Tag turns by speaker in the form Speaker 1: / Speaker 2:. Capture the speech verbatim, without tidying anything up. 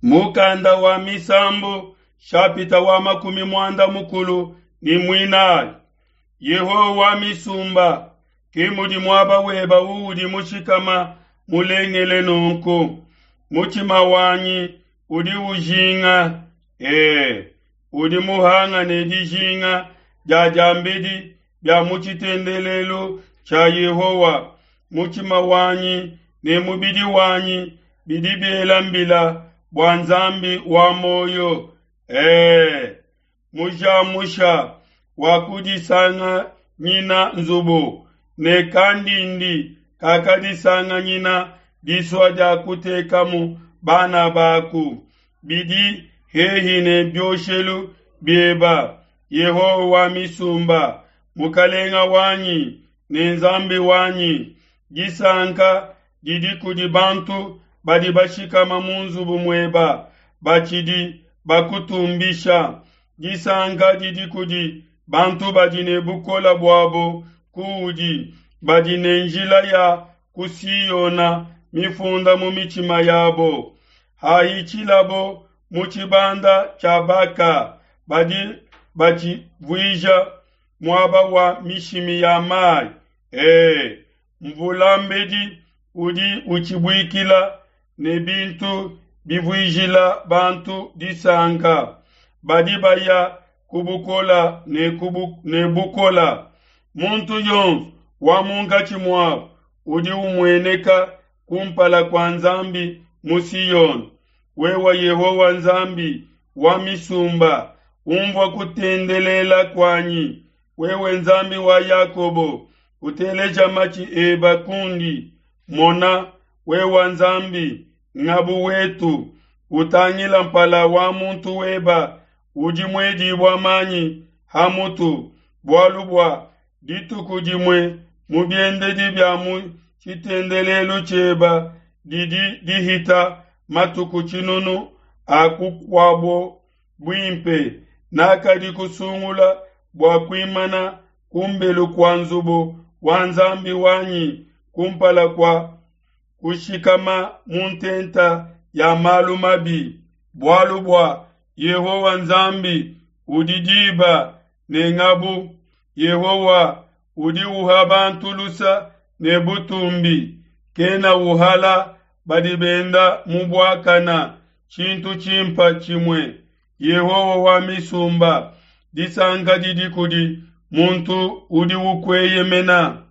Speaker 1: Mukanda wa Misambu shapita wa makumi muanda mukulu ni muinayi. Yehowa wa misumba, ke mudi muaba weba uudi mushikama mulengele nunku. Mutshima wanyi udi ujinga, ee, udi muhangane dijinga dia diambedi bia mu tshitendelelu tshia Yehowa. Mutshima wanyi ne mubidi wanyi bidi biela mbila bua Nzambi wa muoyo. Ee, mujamusha wakudisanganyina nzubu, ne kandindi kakadisanganyina disua dia kutekamu bana baku. Bidi hehi ne bioshelu bieba, Yehowa wa misumba, Mukalenga wanyi ne Nzambi wanyi. Disanka didi kudi bantu badi bashikama mu nzubu mueba, batshidi bakutumbisha. Disanka didi kudi bantu badi ne bukola buabo kuudi, badi ne njila ya ku Siona mifunda mu mitshima yabo. Hahitshilabo mu tshibanda tshia Baka, badi batshivuija muaba wa mishimi ya mai. Ee, mvulambedi udi utshibuikila ne bintu bivuijila bantu disanka. Badi baya ku bukola ne ku ne bukola. Muntu yonso wa munkatshi muabo udi umueneka kumpala kua Nzambi mu Siyone. Wewe Yehowa Nzambi wa misumba, umvua kutendelela kuanyi. Wewe Nzambi wa Yakobo, uteleja matshi eba kundi. Mona, wewe Nzambi, ngabu wetu, utangila mpala wa muntu weba udi muedibua manyi ha mutu, bualu bua dituku dimue mu biendedi bia mu tshitendelelu tshieba didi dihita matuku tshinunu a kukuabo buimpe. Nakadi kusungula bua kuimana kumbelu kua nzubu wa Nzambi wanyi kumpala kua kushikama mu ntenta ya malu mabi, bualu bua Yehowa Nzambi udi diba ne ngabu. Yehowa udi uha bantu lusa ne butumbi, kena uhala badi benda mu buakana tshintu tshimpa tshimue. Yehowa wa misumba, disanka didi kudi muntu udi ukueyemena.